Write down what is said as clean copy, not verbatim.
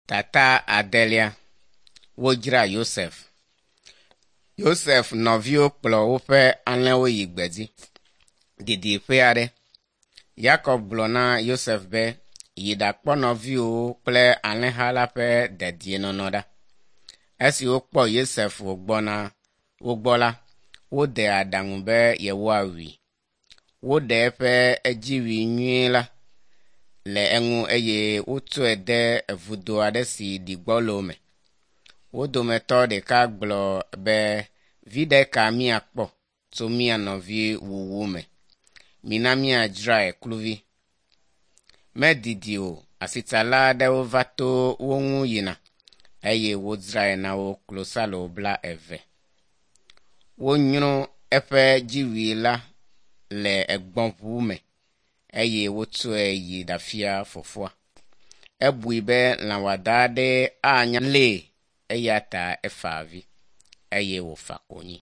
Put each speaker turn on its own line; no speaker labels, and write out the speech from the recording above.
Tata adelia. Wodzra Yosef. Yosef nɔviwo kplɔ woƒe alẽwo yi gbedzi didiƒe aɖe. Yakob gblɔ na Yosef be, yi ɖakpɔ nɔviwòwo kple alẽha la ƒe dedienɔnɔ ɖa. Esi wokpɔ Yosef wògbɔna wo gbɔ la, wode aɖaŋu be yewoawui. Woɖe eƒe edziwui nyuie la le eŋu eye wotsɔe de vudo aɖe si ɖi gbɔlo me. Wo dometɔ ɖeka gblɔ be viɖe ka míakpɔ tso mía nɔvi wuwu me. Mina míadzrae kluvi. Medidi o, asitsala aɖewo va to wo ŋu yina eye wodzrae na wo klosalo bla eve. Wonyrɔ eƒe dziwui la le egbɔ̃ʋu me eye wotsɔe yi ɖafia fofoa. Ebui be lã wɔada aɖee anya lée eya ta efa avi eye wòfa konyi.